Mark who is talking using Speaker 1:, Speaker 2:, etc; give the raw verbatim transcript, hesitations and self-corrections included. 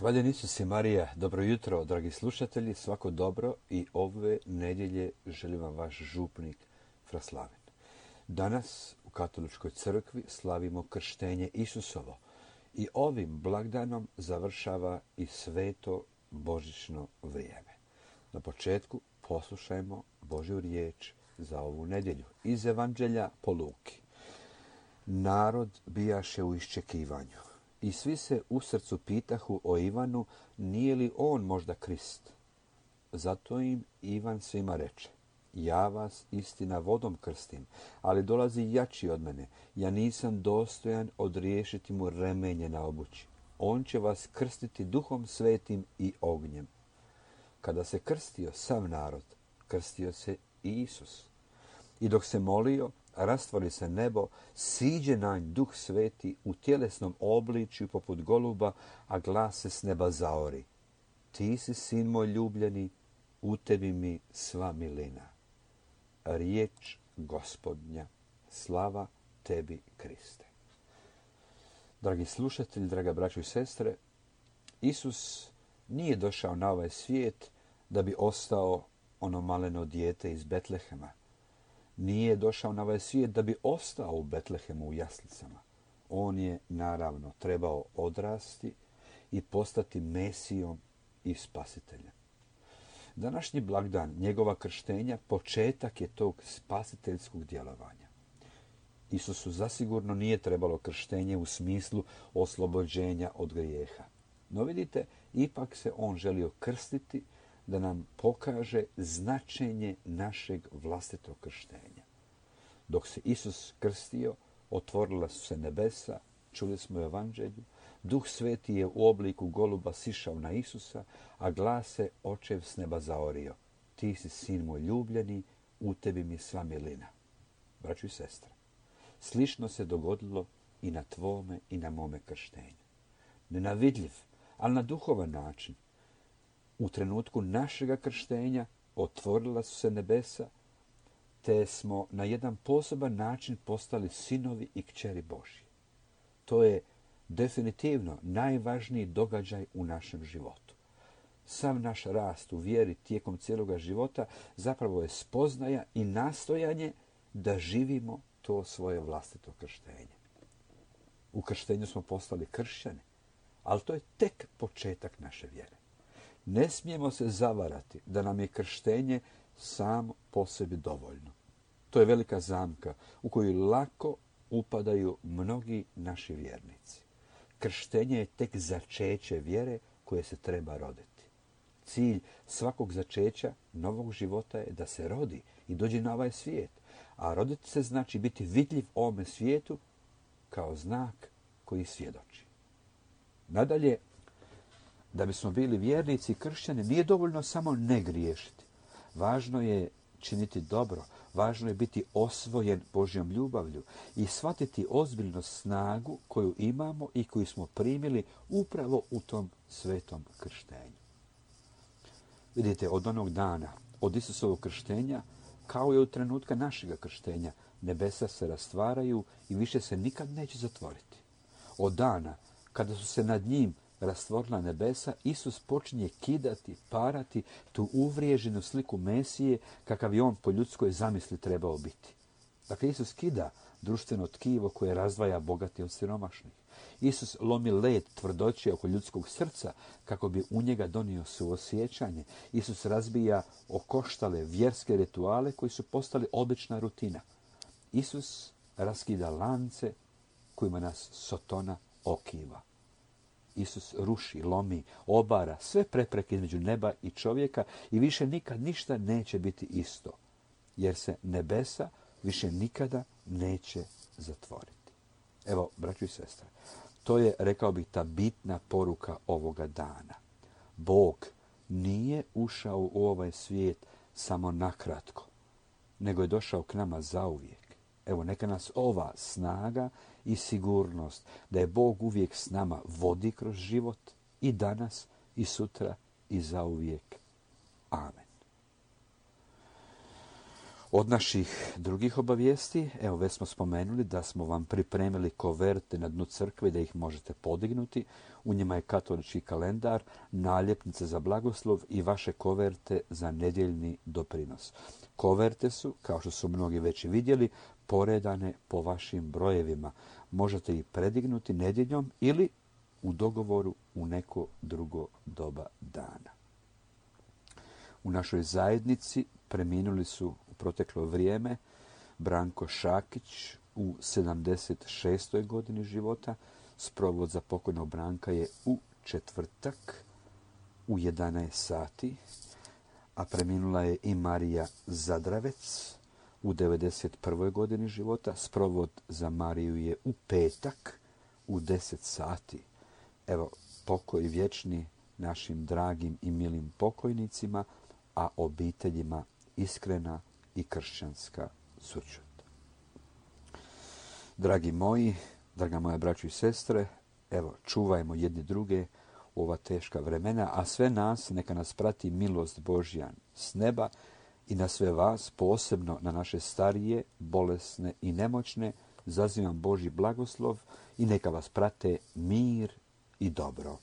Speaker 1: Hvaljen Isus i Marija, dobro jutro, dragi slušatelji, svako dobro i ove nedjelje želim vam vaš župnik Fraslavin. Danas u Katoličkoj crkvi slavimo krštenje Isusovo i ovim blagdanom završava i sveto božićno vrijeme. Na početku poslušajmo Božju riječ za ovu nedjelju iz Evanđelja po Luki. Narod bijaše u iščekivanju. I svi se u srcu pitahu o Ivanu, nije li on možda Krist? Zato im Ivan svima reče, ja vas istina vodom krstim, ali dolazi jači od mene. Ja nisam dostojan odriješiti mu remenje na obući. On će vas krstiti duhom svetim i ognjem. Kada se krstio sav narod, krstio se i Isus. I dok se molio, rastvori se nebo, siđe na nj duh sveti u tjelesnom obličju poput goluba, a glas se s neba zaori. Ti si sin moj ljubljeni, u tebi mi sva milina. Riječ Gospodnja, slava tebi Kriste. Dragi slušatelji, draga braćo i sestre, Isus nije došao na ovaj svijet da bi ostao ono maleno dijete iz Betlehema. Nije došao na ovaj svijet da bi ostao u Betlehemu u jaslicama. On je, naravno, trebao odrasti i postati Mesijom i Spasiteljem. Današnji blagdan njegova krštenja početak je tog spasiteljskog djelovanja. Isusu zasigurno nije trebalo krštenje u smislu oslobođenja od grijeha. No vidite, ipak se on želio krstiti da nam pokaže značenje našeg vlastitog krštenja. Dok se Isus krstio, otvorila su se nebesa, čuli smo u Evanđelju, Duh Sveti je u obliku goluba sišao na Isusa, a glas se očev s neba zaorio. Ti si sin moj ljubljeni, u tebi mi sva milina. Braćo i sestre, slično se dogodilo i na tvome i na mome krštenju. Nenavidljiv, ali na duhovan način. U trenutku našega krštenja otvorila su se nebesa, te smo na jedan poseban način postali sinovi i kćeri Božji. To je definitivno najvažniji događaj u našem životu. Sav naš rast u vjeri tijekom cijeloga života zapravo je spoznaja i nastojanje da živimo to svoje vlastito krštenje. U krštenju smo postali kršćani, ali to je tek početak naše vjere. Ne smijemo se zavarati da nam je krštenje samo po sebi dovoljno. To je velika zamka u koju lako upadaju mnogi naši vjernici. Krštenje je tek začeće vjere koje se treba roditi. Cilj svakog začeća novog života je da se rodi i dođe na ovaj svijet. A roditi se znači biti vidljiv ovome svijetu kao znak koji svjedoči. Nadalje, da bismo bili vjernici i kršćani, nije dovoljno samo ne griješiti. Važno je činiti dobro, važno je biti osvojen Božjom ljubavlju i shvatiti ozbiljno snagu koju imamo i koju smo primili upravo u tom svetom krštenju. Vidite, od onog dana, od Isusovog krštenja, kao i od trenutka našega krštenja, nebesa se rastvaraju i više se nikad neće zatvoriti. Od dana kada su se nad njim rastvorila nebesa, Isus počinje kidati, parati tu uvriježenu sliku Mesije kakav je on po ljudskoj zamisli trebao biti. Dakle, Isus kida društveno tkivo koje razdvaja bogati od siromašnih. Isus lomi led tvrdoće oko ljudskog srca kako bi u njega donio suosjećanje. Isus razbija okoštale vjerske rituale koji su postali obična rutina. Isus raskida lance kojima nas Sotona okiva. Isus ruši, lomi, obara sve prepreke između neba i čovjeka i više nikad ništa neće biti isto, jer se nebesa više nikada neće zatvoriti. Evo, braćo i sestre, to je, rekao bih, ta bitna poruka ovoga dana. Bog nije ušao u ovaj svijet samo nakratko, nego je došao k nama zauvijek. Evo, neka nas ova snaga i sigurnost da je Bog uvijek s nama vodi kroz život i danas i sutra i zauvijek. Amen. Od naših drugih obavijesti, evo već smo spomenuli da smo vam pripremili koverte na dnu crkve da ih možete podignuti. U njima je katolički kalendar, naljepnice za blagoslov i vaše koverte za nedjeljni doprinos. Koverte su, kao što su mnogi već i vidjeli, poredane po vašim brojevima. Možete ih predignuti nedjeljom ili u dogovoru u neko drugo doba dana. U našoj zajednici preminuli su u proteklo vrijeme Branko Šakić u sedamdeset šestoj godini života. Sprovod za pokojnog Branka je u četvrtak u jedanaest sati, a preminula je i Marija Zadravec u devedeset prvoj godini života. Sprovod za Mariju je u petak u deset sati. Evo, pokoj vječni našim dragim i milim pokojnicima, a obiteljima iskrena i kršćanska sućut. Dragi moji, draga moja braćo i sestre, evo, čuvajmo jedni druge u ova teška vremena, a sve nas neka nas prati milost Božja s neba i na sve vas, posebno na naše starije, bolesne i nemoćne, zazivam Božji blagoslov i neka vas prate mir i dobro.